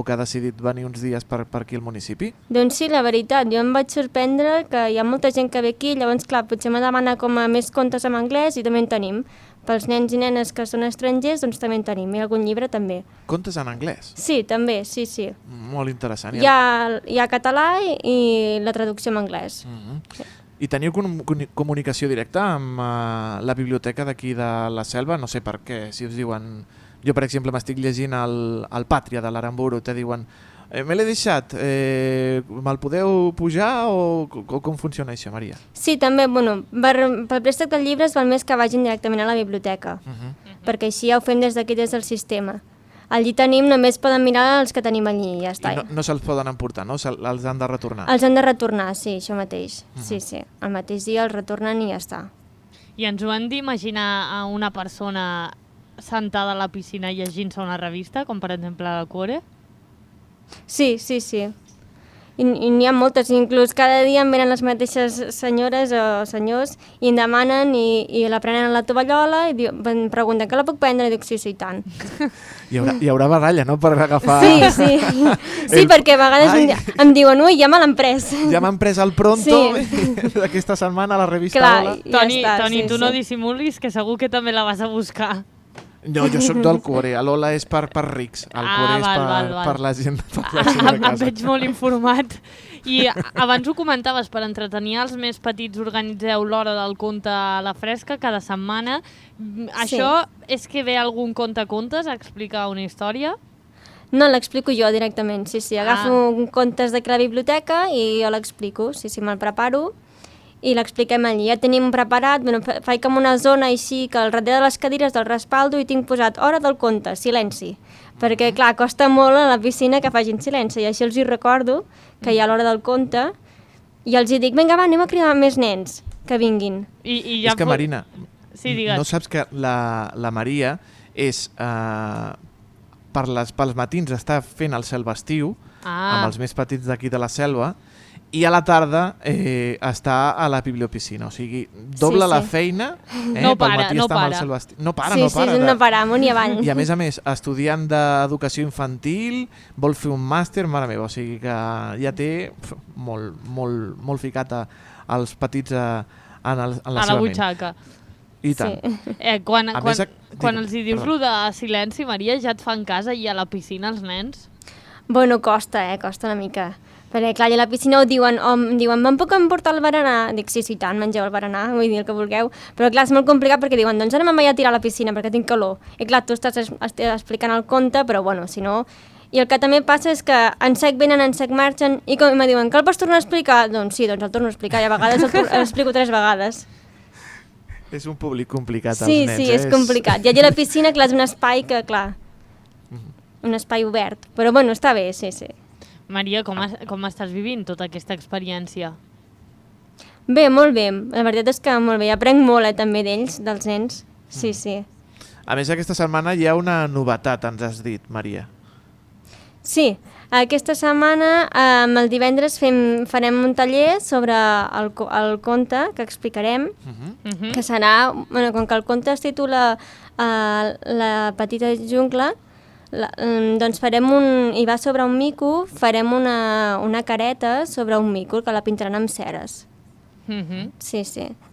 que ha decidit venir uns dies per aquí al municipi? Doncs sí, la veritat, jo em vaig sorprendre que hi ha molta gent que ve aquí, llavors clar, potser me demana com a més contes en anglès i també en tenim. Pels nens i nenes que són estrangers, doncs també en tenim, i algun llibre també. Contes en anglès? Sí, també, sí. Molt interessant. Hi ha català i la traducció en anglès. I teniu comunicació directa amb la biblioteca d'aquí de la Selva? No sé per què, si us diuen... Jo, per exemple, m'estic llegint el Pàtria de l'Aramburu, te diuen me l'he deixat, me'l podeu pujar o com funciona això, Maria? Sí, també, bueno, pel préstec del llibre val més que vagin directament a la biblioteca, perquè així ja ho fem des d'aquí, des del sistema. Allí tenim, només poden mirar els que tenim allí i ja està. I no se'ls poden emportar, no? Els han de retornar? Els han de retornar, sí, això mateix. Sí. El mateix dia els retornen i ja està. I ens ho hem d'imaginar a una persona sentada a la piscina llegint-se una revista, com per exemple el Cuore? Sí. I n'hi ha moltes, inclús cada dia em venen les mateixes senyores o senyors i em demanen i la prenen a la tovallola i em pregunten que la puc prendre i dic sí, i tant. Hi haurà baralla, no?, per agafar... Sí, perquè a vegades em diuen ui, ja me l'han pres. Ja m'han pres el Pronto d'aquesta setmana a la revista Ola. Toni, tu no dissimulis, que segur que també la vas a buscar. No, jo sóc del Cuore, l'Ola és per rics, el Cuore és per la gent de casa. Em veig molt informat. I abans ho comentaves, per entretenir els més petits organitzeu l'hora del conte a la fresca cada setmana. Això és que ve algun conte-contes a explicar una història? No, l'explico jo directament, sí. Agafo contes d'aquí a la biblioteca i jo l'explico, me'l preparo. I l'expliquem allí. Ja tenim preparat, faig com una zona així que al darrere de les cadires del respaldo hi tinc posat hora del conte, silenci. Perquè, clar, costa molt a la piscina que facin silenci i així els hi recordo que hi ha l'hora del conte i els hi dic, vinga, va, anem a cridar més nens que vinguin. És que, Marina, no saps que la Maria és... pels matins està fent el Selva Estiu amb els més petits d'aquí de la Selva i a la tarda està a la bibliopiscina, o sigui, dobla la feina, no para. No para, amunt i avall. I a més, estudiant d'educació infantil, vol fer un màster, mare meva, o sigui que ja té molt ficat als petits en la seva ment. A la butxaca. I tant. Quan els hi dius lo de silenci, Maria, ja et fan cas allà a la piscina els nens? Bueno, costa una mica. Perquè, clar, a la piscina em diuen, me'n puc emportar el berenar? Dic, sí, tant, mengeu el berenar, vull dir el que vulgueu. Però, clar, és molt complicat perquè diuen, doncs ara me'n vaig a tirar a la piscina perquè tinc calor. I, clar, tu estàs explicant el conte, però, bueno, si no... I el que també passa és que en sec venen, en sec marxen, i com em diuen, que el pots tornar a explicar? Doncs sí, el torno a explicar, i a vegades l'explico 3 vegades. És un públic complicat, els nens. Sí, és complicat. I allà a la piscina, clar, és un espai que, clar, un espai obert. Però, bueno, està bé, sí. Maria, com estàs vivint tota aquesta experiència? Bé, molt bé. La veritat és que molt bé. Aprenc molt, també, d'ells, dels nens. Sí. A més, aquesta setmana hi ha una novetat, ens has dit, Maria. Sí, aquesta setmana, el divendres, farem un taller sobre el conte que explicarem, que serà, com que el conte es titula La petita jungla, doncs i va sobre un mico, farem una careta sobre un mico que la pintaran amb ceres. Sí.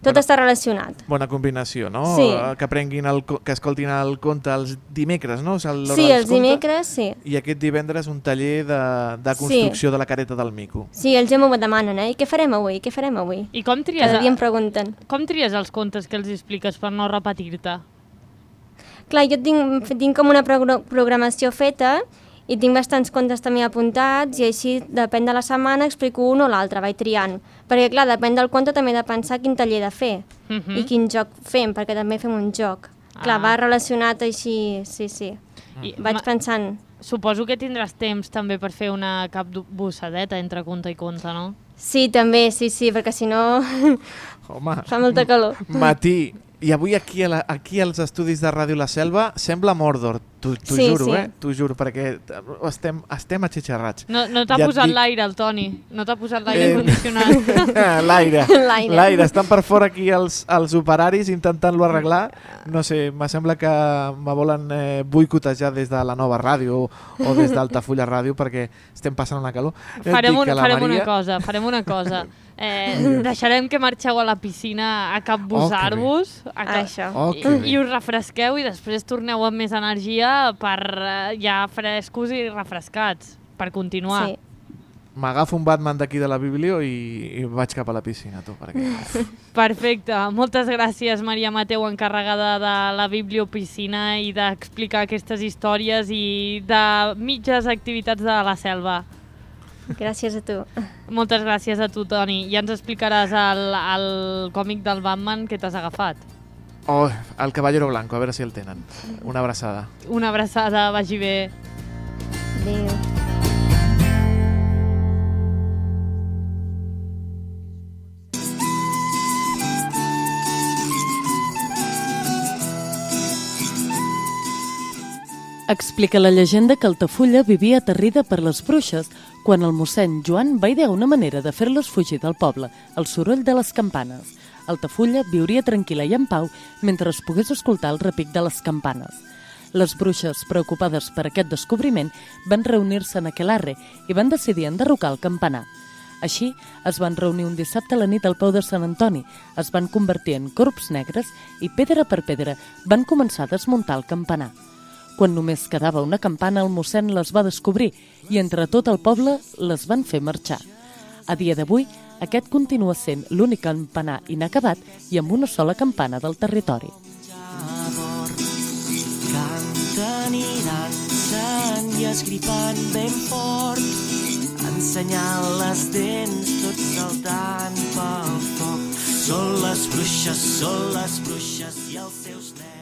Tot està relacionat. Bona combinació, no? Sí. Que escoltin el conte els dimecres, no? Sí, els dimecres, sí. I aquest divendres un taller de construcció de la careta del mico. Sí, ells ja m'ho demanen, I què farem avui? I com tries? Cada dia em pregunten. Com tries els contes que els expliques per no repetir-te? Clar, jo tinc com una programació feta i tinc bastants contes també apuntats i així, depèn de la setmana, explico un o l'altre, vaig triant. Perquè, clar, depèn del conte també he de pensar quin taller he de fer i quin joc fem, perquè també fem un joc. Clar, va relacionat així, sí. Vaig pensant... Suposo que tindràs temps també per fer una capbussadeta entre conte i conte, no? Sí, també, sí, perquè si no... Home, fa molta calor. Matí. I avui aquí als estudis de Ràdio La Selva sembla Mordor, t'ho juro, t'ho juro, perquè estem atxitxarrats. No t'ha posat l'aire, el Toni, no t'ha posat l'aire condicionat. L'aire, estan per fora aquí els operaris intentant-lo arreglar, no sé, me sembla que me volen boicotejar des de la nova ràdio o des d'Altafulla Ràdio perquè estem passant una calor. Farem una cosa. Deixarem que marxeu a la piscina a capbussar-vos i us refresqueu i després torneu amb més energia per ja frescos i refrescats per continuar. m'agafo un Batman d'aquí de la Biblio i vaig cap a la piscina, tu, perquè... Perfecte. Moltes gràcies, Maria Mateu, encarregada de la Bibliopiscina i d'explicar aquestes històries i de mitges activitats de la selva. Gràcies a tu. Moltes gràcies a tu, Toni. Ja ens explicaràs el còmic del Batman que t'has agafat. Oh, el Caballero Blanco, a veure si el tenen. Una abraçada. Una abraçada, vagi bé. Adéu. Explica la llegenda que Altafulla vivia aterrida per les bruixes quan el mossèn Joan va idear una manera de fer-les fugir del poble, el soroll de les campanes. Altafulla viuria tranquil·la i en pau mentre es pogués escoltar el repic de les campanes. Les bruixes, preocupades per aquest descobriment, van reunir-se en Aquelarre i van decidir enderrocar el campanar. Així, es van reunir un dissabte a la nit al peu de Sant Antoni, es van convertir en corbs negres i, pedra per pedra, van començar a desmuntar el campanar. Quan només quedava una campana, el mossèn les va descobrir i entre tot el poble les van fer marxar. A dia d'avui, aquest continua sent l'únic campanar inacabat i amb una sola campana del territori. Canten i dansen i esgripant ben fort, ensenyant les dents, tots saltant pel foc. Són les bruixes i els seus negres.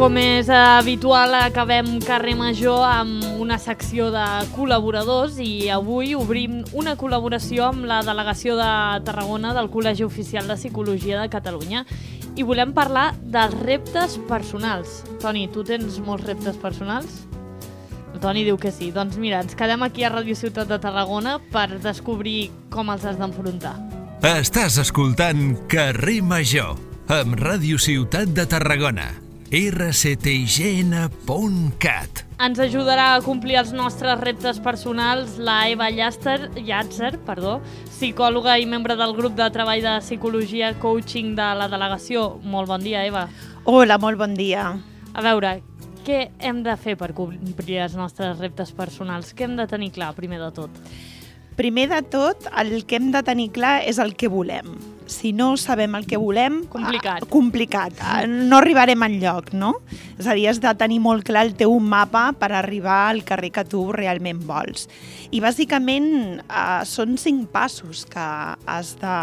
Com és habitual, acabem Carrer Major amb una secció de col·laboradors i avui obrim una col·laboració amb la Delegació de Tarragona del Col·legi Oficial de Psicologia de Catalunya i volem parlar dels reptes personals. Toni, tu tens molts reptes personals? El Toni diu que sí. Doncs mira, ens quedem aquí a Ràdio Ciutat de Tarragona per descobrir com els has d'enfrontar. Estàs escoltant Carrer Major amb Ràdio Ciutat de Tarragona. rctign.cat. Ens ajudarà a complir els nostres reptes personals la Eva Llàtzer, psicòloga i membre del grup de treball de psicologia coaching de la delegació. Molt bon dia, Eva. Hola, molt bon dia. A veure, què hem de fer per complir els nostres reptes personals? Què hem de tenir clar, primer de tot? Primer de tot, el que hem de tenir clar és el que volem. Si no sabem el que volem... Complicat. No arribarem enlloc, no? És a dir, has de tenir molt clar el teu mapa per arribar al carrer que tu realment vols. I bàsicament són 5 passos que has de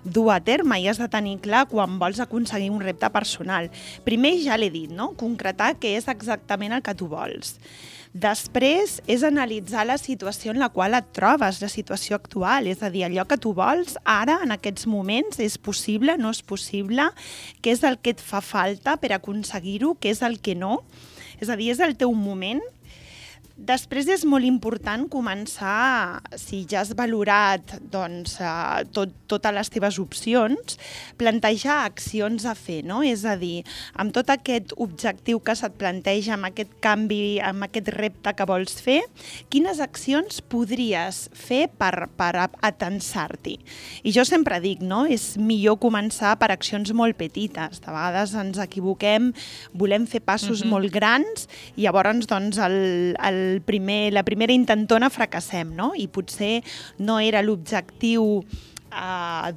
dur a terme i has de tenir clar quan vols aconseguir un repte personal. Primer, ja l'he dit, no? Concretar què és exactament el que tu vols. Després és analitzar la situació en la qual et trobes, la situació actual, és a dir, allò que tu vols ara, en aquests moments, és possible, no és possible, què és el que et fa falta per aconseguir-ho, què és el que no, és a dir, és el teu moment. Després és molt important començar, si ja has valorat doncs, totes les teves opcions, plantejar accions a fer, no? És a dir, amb tot aquest objectiu que se't planteja, amb aquest canvi, amb aquest repte que vols fer, quines accions podries fer per atensar-t'hi? I jo sempre dic, no? És millor començar per accions molt petites. De vegades ens equivoquem, volem fer passos molt grans i llavors doncs, la primera intentona fracassem, no? I potser no era l'objectiu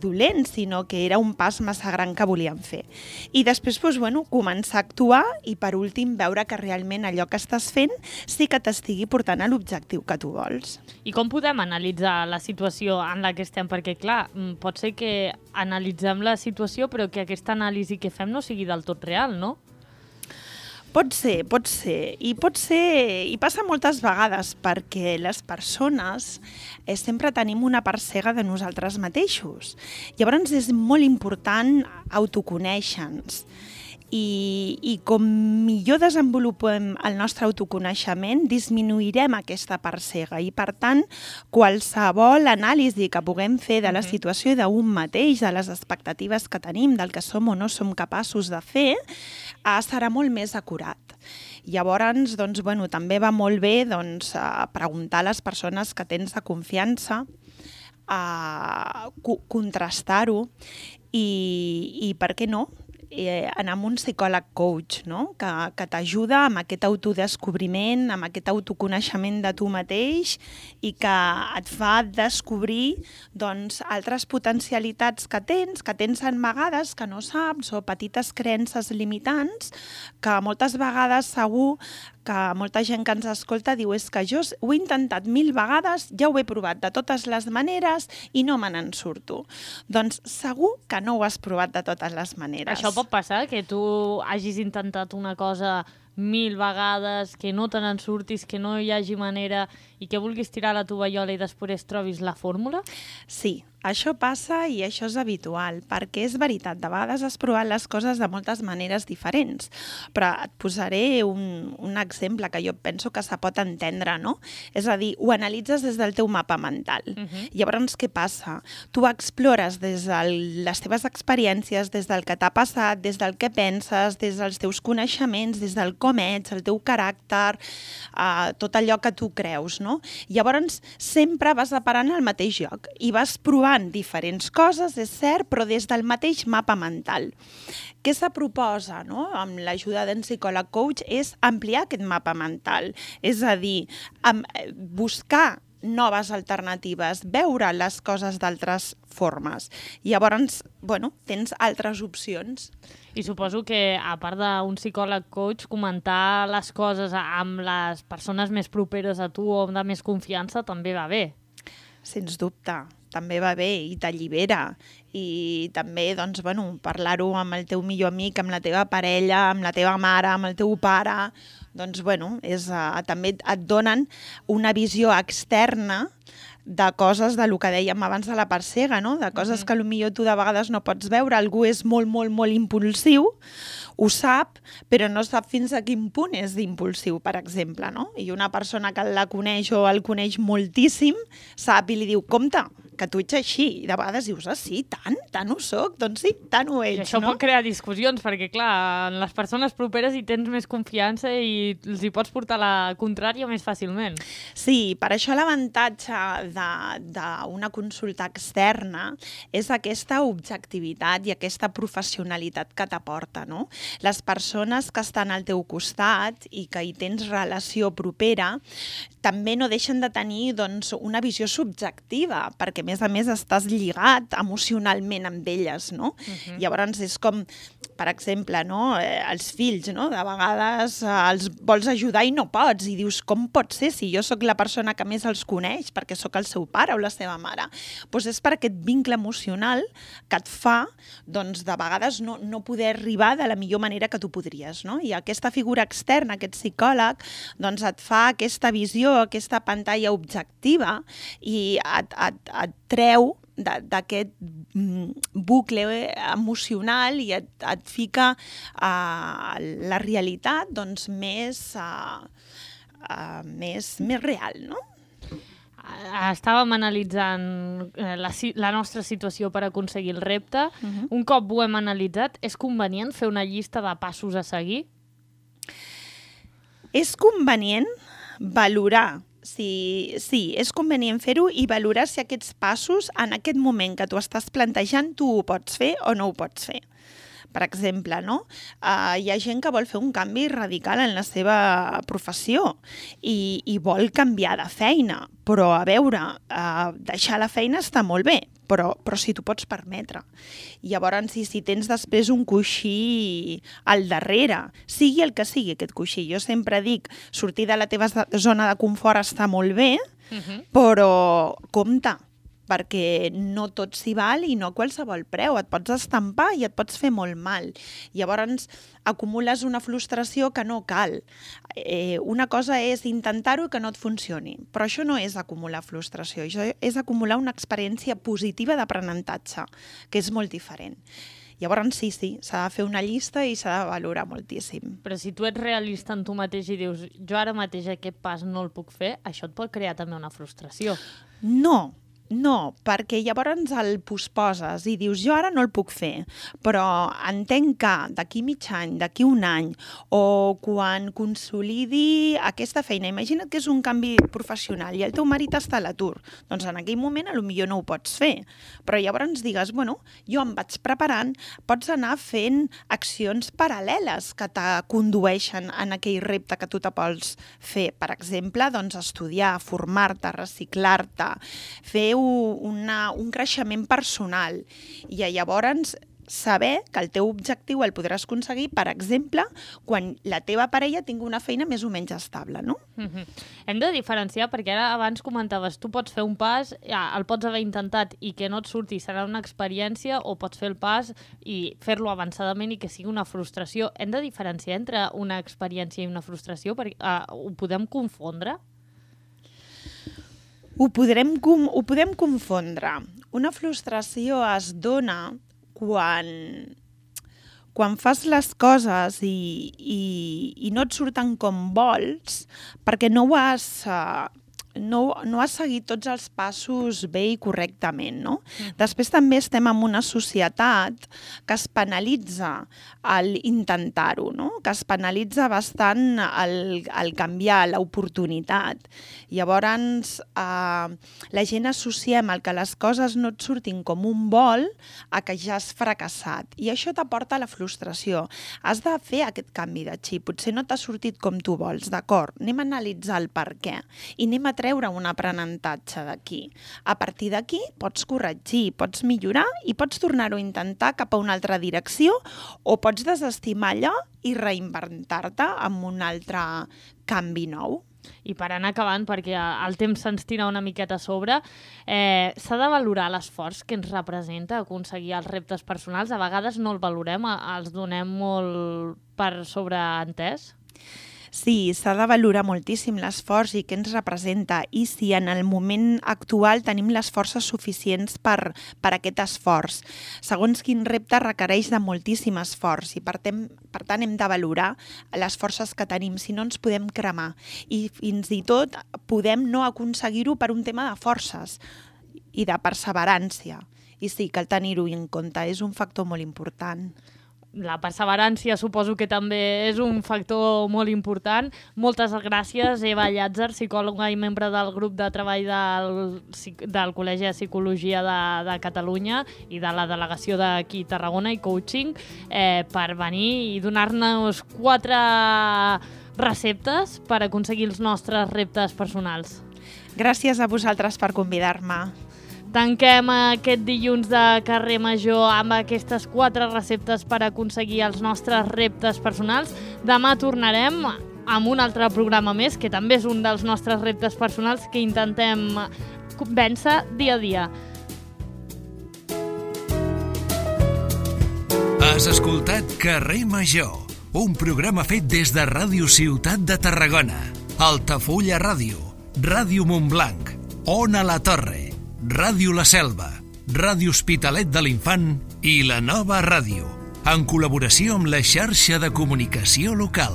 dolent, sinó que era un pas massa gran que volíem fer. I després començar a actuar i per últim veure que realment allò que estàs fent sí que t'estigui portant a l'objectiu que tu vols. I com podem analitzar la situació en la que estem? Perquè clar, pot ser que analitzem la situació però que aquesta anàlisi que fem no sigui del tot real, no? Pot ser. I passa moltes vegades perquè les persones sempre tenim una part cega de nosaltres mateixos. Llavors és molt important autoconèixer-nos. I com millor desenvolupem el nostre autoconeixement, disminuirem aquesta part cega i, per tant, qualsevol anàlisi que puguem fer de la situació d'un mateix, de les expectatives que tenim, del que som o no som capaços de fer, serà molt més acurat. Llavors, també va molt bé preguntar a les persones que tens de confiança, contrastar-ho i, per què no, anar amb un psicòleg coach, no? Que t'ajuda amb aquest autodescobriment, amb aquest autoconeixement de tu mateix i que et fa descobrir doncs, altres potencialitats que tens en vegades que no saps, o petites creences limitants que moltes vegades segur que molta gent que ens escolta diu és que jo ho he intentat 1000 vegades, ja ho he provat de totes les maneres i no me n'en surto. Doncs segur que no ho has provat de totes les maneres. Això pot passar, que tu hagis intentat una cosa 1000 vegades, que no te n'en surtis, que no hi hagi manera i que vulguis tirar la tovallola i després trobis la fórmula? Sí, això passa i això és habitual, perquè és veritat, de vegades has provat les coses de moltes maneres diferents, però et posaré un exemple que jo penso que se pot entendre, no? És a dir, ho analitzes des del teu mapa mental. Llavors, què passa? Tu explores des de les teves experiències, des del que t'ha passat, des del que penses, des dels teus coneixements, des del com ets, el teu caràcter, tot allò que tu creus, no? Llavors, sempre vas aparant al mateix lloc i vas provant diferents coses, és cert, però des del mateix mapa mental. Què se proposa, no? Amb l'ajuda d'un psicòleg coach és ampliar aquest mapa mental, és a dir, buscar noves alternatives, veure les coses d'altres formes. Llavors, bueno, tens altres opcions. I suposo que, a part d'un psicòleg coach, comentar les coses amb les persones més properes a tu o de més confiança també va bé. Sens dubte, també va bé i t'allibera. I també, doncs, bueno, parlar-ho amb el teu millor amic, amb la teva parella, amb la teva mare, amb el teu pare, doncs, bueno, també et donen una visió externa de coses del que dèiem abans de la part cega, no? De coses que potser tu de vegades no pots veure. Algú és molt, molt, molt impulsiu, ho sap, però no sap fins a quin punt és d'impulsiu, per exemple, no? I una persona que la coneix o el coneix moltíssim sap i li diu, compte, que tu ets així. I de vegades dius, sí, tant ho soc, doncs sí, tant ho ets, I això pot crear discussions, perquè, clar, en les persones properes hi tens més confiança i els hi pots portar la contrària més fàcilment. Sí, per això l'avantatge d'una consulta externa és aquesta objectivitat i aquesta professionalitat que t'aporta, no? Les persones que estan al teu costat i que hi tens relació propera també no deixen de tenir, doncs, una visió subjectiva, perquè a més estàs lligat emocionalment amb elles, no? Llavors és com, per exemple, no? Els fills, no? De vegades els vols ajudar i no pots, i dius, com pot ser si jo sóc la persona que més els coneix, perquè sóc el seu pare o la seva mare? Doncs és per aquest vincle emocional que et fa, doncs, de vegades no poder arribar de la millor manera que tu podries, no? I aquesta figura externa, aquest psicòleg, doncs et fa aquesta visió, aquesta pantalla objectiva i et treu d'aquest bucle emocional i et fica la realitat, doncs, més real, no? Estàvem analitzant la nostra situació per aconseguir el repte. Un cop ho hem analitzat, és convenient fer una llista de passos a seguir? És convenient valorar. Sí, és convenient fer-ho i valorar si aquests passos, en aquest moment que tu estàs plantejant, tu ho pots fer o no ho pots fer. Per exemple, no? Hi ha gent que vol fer un canvi radical en la seva professió i vol canviar de feina, però a veure, deixar la feina està molt bé, però si t'ho pots permetre. Llavors, si tens després un coixí al darrere, sigui el que sigui aquest coixí, jo sempre dic, sortir de la teva zona de confort està molt bé, però compte, perquè no tot s'hi val i no a qualsevol preu. Et pots estampar i et pots fer molt mal. Llavors acumules una frustració que no cal. Una cosa és intentar-ho i que no et funcioni, però això no és acumular frustració, això és acumular una experiència positiva d'aprenentatge, que és molt diferent. Llavors sí, s'ha de fer una llista i s'ha de valorar moltíssim. Però si tu ets realista en tu mateix i dius, jo ara mateix aquest pas no el puc fer, això et pot crear també una frustració. No, No, perquè llavors el posposes i dius jo ara no el puc fer, però entenc que d'aquí mig any, d'aquí un any, o quan consolidi aquesta feina, imagina't que és un canvi professional i el teu marit està a l'atur, doncs en aquell moment potser no ho pots fer, però llavors digues, bueno, jo em vaig preparant, pots anar fent accions paral·leles que te condueixen en aquell repte que tu te vols fer. Per exemple, doncs estudiar, formar-te, reciclar-te, fer un creixement personal i llavors saber que el teu objectiu el podràs aconseguir, per exemple, quan la teva parella tingui una feina més o menys estable, no? Hem de diferenciar, perquè ara abans comentaves, tu pots fer un pas, el pots haver intentat i que no et surti, serà una experiència, o pots fer el pas i fer-lo avançadament i que sigui una frustració. Hem de diferenciar entre una experiència i una frustració, perquè ho podem confondre? Ho podem confondre. Una frustració es dona quan fas les coses i no et surten com vols perquè no has seguit tots els passos bé i correctament, no? Després també estem en una societat que es penalitza al intentar-ho, no? Que es penalitza bastant el canviar, l'oportunitat. Llavors, la gent associem el que les coses no et surtin com un vol a que ja has fracassat. I això t'aporta la frustració. Has de fer aquest canvi de xip. Potser no t'ha sortit com tu vols, d'acord? Anem a analitzar el per què i anem a treure un aprenentatge d'aquí. A partir d'aquí pots corregir, pots millorar i pots tornar-ho a intentar cap a una altra direcció o pots desestimar allò i reinventar-te amb un altre canvi nou. I per anar acabant, perquè el temps se'ns tira una miqueta a sobre, s'ha de valorar l'esforç que ens representa aconseguir els reptes personals. A vegades no el valorem, els donem molt per sobreentès. Sí, s'ha de valorar moltíssim l'esforç i què ens representa i si en el moment actual tenim les forces suficients per aquest esforç. Segons quin repte requereix de moltíssim esforç i per tant hem de valorar les forces que tenim, si no ens podem cremar i fins i tot podem no aconseguir-ho per un tema de forces i de perseverància. I sí, cal tenir-ho en compte, és un factor molt important. La perseverància suposo que també és un factor molt important. Moltes gràcies, Eva Llàtzer, psicòloga i membre del grup de treball del Col·legi de Psicologia de Catalunya i de la delegació d'aquí Tarragona i coaching, per venir i donar-nos 4 receptes per aconseguir els nostres reptes personals. Gràcies a vosaltres per convidar-me. Tanquem aquest dilluns de Carrer Major amb aquestes 4 receptes per aconseguir els nostres reptes personals. Demà tornarem amb un altre programa més, que també és un dels nostres reptes personals que intentem vèncer dia a dia. Has escoltat Carrer Major, un programa fet des de Ràdio Ciutat de Tarragona, Altafulla Ràdio, Ràdio Montblanc, Ona la Torre, Ràdio La Selva, Ràdio Hospitalet de l'Infant i La Nova Ràdio, en col·laboració amb la xarxa de comunicació local.